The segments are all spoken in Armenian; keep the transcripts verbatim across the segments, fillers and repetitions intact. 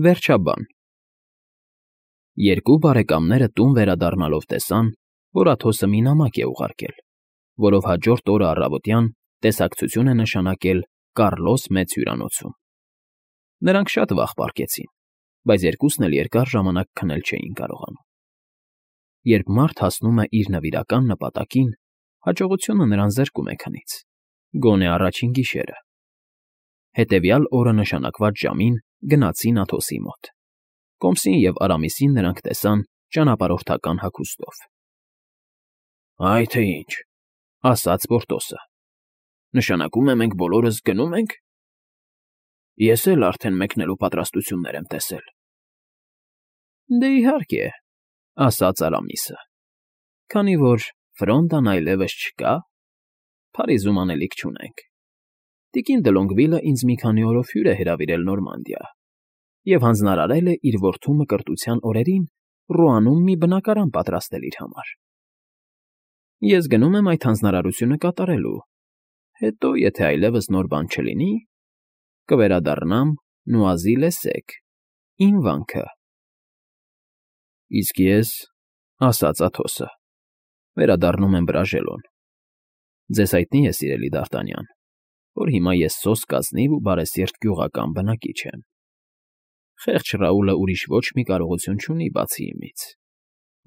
Վերջաբան Երկու բարեկամները տուն վերադառնալով տեսան, որ Աթոսը մի նամակ է ուղարկել, որով հաջորդ օրը առավոտյան տեսակցություն է նշանակել Կառլոս Մեծ հյուրանոցում։ Նրանք շատ վաղ պառկեցին, բայց երկուսն էլ երկար ժամանակ քնել չէին կարողանում։ Երբ մարդ հասնում է իր նվիրական նպատակին, հաջողությունը նրան զրկում է քնից, գոնե առաջին գիշերը։ Հետևյալ օրը նշանակված ժամին գնացին Աթոսի մոտ։ Կոմսին և Արամիսին նրանք տեսան ճանապարհորդական հագուստով։ ֊ Այ թե ինչ,֊ ասաց Պորտոսը,֊ նշանակում է մենք բոլորս գնո՞ւմ ենք։ ֊ Ես էլ արդեն մեկնելու պատրաստություններ եմ տեսել։ ֊ Դե, իհարկե,֊ ասաց Արամիսը,֊ քանի որ Ֆրոնդան այլևս չկա, Փարիզում անելիք չունենք։ Տիկին Դլոնգվիլը ինձ մի քանի օրով հյուր է հրավիրել Նորմանդիա և հանձնարարել է իր որդու Մկրտության օրերին Ռոանում մի բնակարան պատրաստել իր համար։ Ես գնում եմ այդ հանձնարարությունը կատարելու, հետո, եթե այլևս նոր բան չլինի, կվերադառնամ Նուազի֊լե֊Սեկ, իմ վանքը։ ֊ Իսկ ես,֊ ասաց Աթոսը,֊ վերադառնում եմ Բրաժելոն։ Ձեզ հայտնի է, սիրելի Դարտանյան, որ հիմա ես սոսկ ազնիվ ու բարեսիրտ գյուղական բնակիչ եմ։ Խեղճ Ռաուլը ուրիշ ոչ մի կարողություն չունի բացի իմից.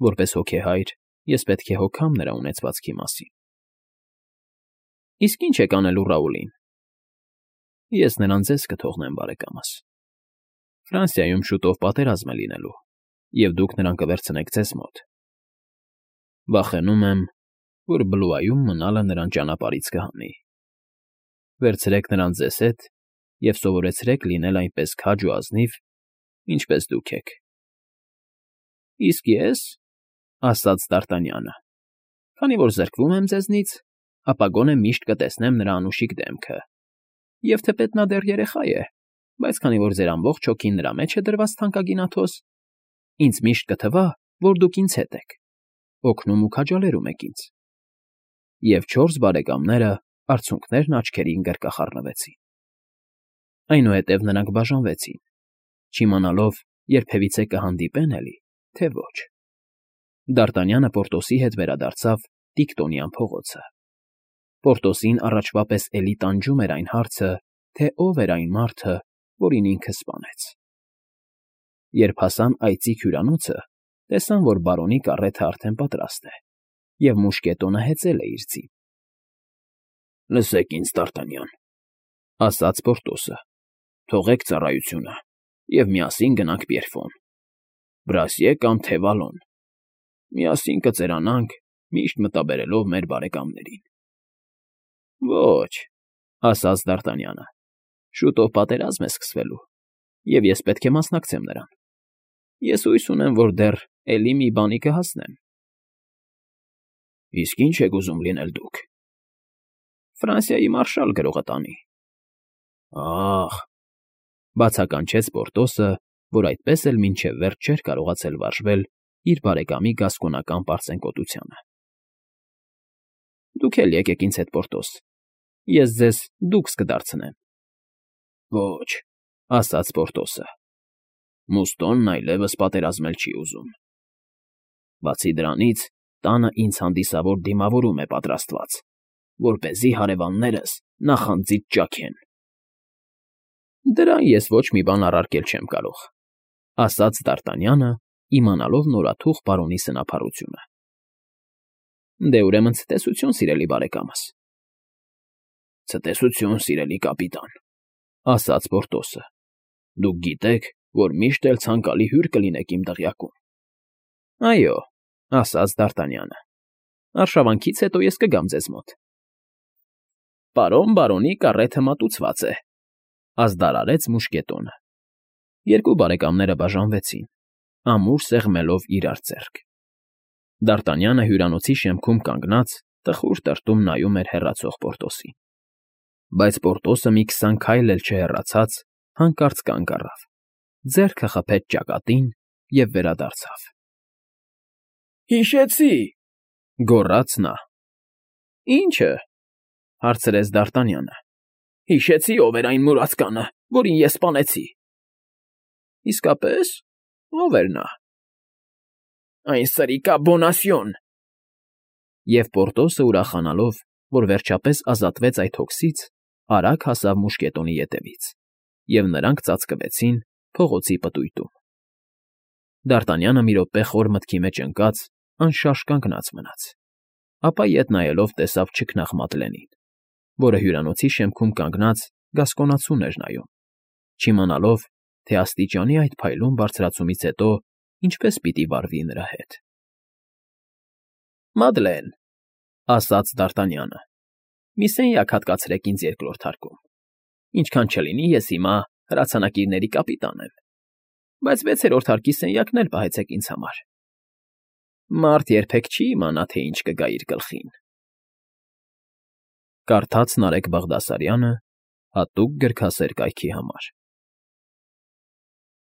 որպես հոգեհայր ես պետք է հոգամ նրա ունեցվածքի մասին։ ֊ Իսկ ի՞նչ եք անելու Ռաուլին։ ֊ Ես նրան ձեզ կթողնեմ, բարեկամս։ Ֆրանսիայում շուտով պատերազմ է լինելու, և դուք նրան կվերցնեք ձեզ մոտ։ Վախենում եմ, որ Բլուայում մնալը նրան ճանապարհից կհանի։ Վերցրեք նրան ձեզ հետ և սովորեցրեք լինել այնպես քաջ ու ազնիվ, ինչպես դուք եք։ ֊ Իսկ ես,֊ ասաց Դարտանյանը,֊ քանի որ զրկվում եմ ձեզնից, ապա գոնե միշտ կտեսնեմ նրա անուշիկ դեմքը, և թեպետ նա դեռ երեխա է, բայց քանի որ ձեր ամբողջ հոգին նրա մեջ է դրված, թանկագին Աթոս, ինձ միշտ կթվա, որ դուք ինձ հետ եք, օգնում ու քաջալերում եք ինձ։ Եվ չորս բարեկամները արցունքներն աչքերին գրկախառնվեցին։ Այնուհետև նրանք բաժանվեցին, չիմանալով երբևիցե կհանդիպեն էլի, թե ոչ։ Դարտանյանը Պորտոսի հետ վերադարձավ Տիկտոնյան փողոցը։ Պորտոսին առաջվա պես էլի տանջում էր այն հարցը, թե ով էր այն մարդը, որին ինքը սպանեց։ Երբ հասան այծիկ հյուրանոցը, տեսան, որ բարոնի կառեթը արդեն պատրաստ է, և մուշկետոնը հեծել է իր ձին։ ֊ Լսեք ինձ, Դարտանյան,֊ ասաց Պորտոսը,֊ թողեք ծառայությունը և միասին գնանք Պիերֆոն, Բրասիե կամ թե Վալոն։ Միասին կծերանանք, միշտ մտաբերելով մեր բարեկամներին։ ֊ Ոչ,֊ ասաց Դարտանյանը,֊ շուտով պատերազմ է սկսվելու, և ես պետք է մասնակցեմ նրան։ Ես հույս ունեմ, որ դեռ էլի մի բանի կհասնեմ։ ֊ Իսկ ի՞նչ եք ուզում լինել դուք։ ֊ Ֆրանսիայի մարշալ գրողը տանի։ ֊ Ա՜խ,֊ բացականչեց Պորտոսը, որ այդպես էլ մինչև վերջ չէր կարողացել վարժվել իր բարեկամի գասկոնական պարծենկոտությանը։ ֊ Դուք էլ եկեք ինձ հետ, Պորտոս, ես ձեզ դուքս կդարձնեմ։ ֊ Ոչ,֊ ասաց Պորտոսը,֊ Մուստոնն այլևս պատերազմել չի ուզում։ Բացի դրանից, տանը ինձ հանդիսավոր դիմավորում է պատրաստված, որպեսզի հարևաններս նախանձից ճաքեն։ ֊ Դրան ես ոչ մի բան առարկել չեմ կարող,֊ ասաց Դարտանյանը, իմանալով նորաթուխ բարոնի սնափառությունը։ ֊ Դե, ուրեմն ցտեսություն, սիրելի բարեկամս։ ֊ Ցտեսություն, սիրելի կապիտան,֊ ասաց Պորտոսը,֊ դուք գիտեք, որ միշտ էլ ցանկալի հյուր կլինեք իմ դղյակում։ ֊ Այո,֊ ասաց Դարտանյանը,֊ արշավանքից հետո ես կգամ ձեզ մոտ։ ֊ Պարոն բարոնի կառեթը մատուցված է,֊ ազդարարեց մուշկետոնը։ Երկու բարեկամները բաժանվեցին, ամուր սեղմելով իրար ձեռք։ Դարտանյանը հյուրանոցի շեմքում կանգնած տխուր տրտում նայում էր հեռացող Պորտոսին։ Բայց Պորտոսը մի քսան քայլ էլ չհեռացած հանկարծ կանգ առավ, ձեռքը խփեց ճակատին և վերադարձավ։ ֊ Հիշեցի,֊ գոռաց նա։ ֊ Ի՞նչը,֊ հարցրեց Դարտանյանը։ ֊ Հիշեցի՝ ով էր այն մուրացկանը, որին ես սպանեցի։ Իսկապես, ո՞վ էր նա։ Այն սրիկա Բոնասյոն… Եվ Պորտոսը, ուրախանալով, որ վերջապես ազատվեց այդ հոգսից, արագ հասավ մուշկետոնի ետևից, և նրանք ծածկվեցին փողոցի պտույտում։ Դ'Արտանյանը մի րոպե խոր մտքի մեջ ընկած անշարժ կանգնած մնաց, ապա ետ նայելով տեսավ չքնաղ Մադլենին, որը հյուրանոցի շեմքում կանգնած գասկոնացուն էր նայում, չիմանալով, թե աստիճանի այդ փայլուն բարձրացումից հետո ինչպես պիտի վարվի նրա հետ։ ֊ Մադլեն,֊ ասաց Դ'Արտանյանը,֊ մի սենյակ հատկացրեք ինձ երկրորդ հարկում, ինչքան չլինի ես հիմա հրացանակիրների կապիտան եմ, բայց վեցերորդ հարկի սենյակն էլ պահեցեք ինձ համար. մարդ երբեք չի իմանա, թե ինչ կգա իր գլխին։ Կարդաց Նարեկ Բաղդասարյանը հատուկ գրքասեր կայքի համար։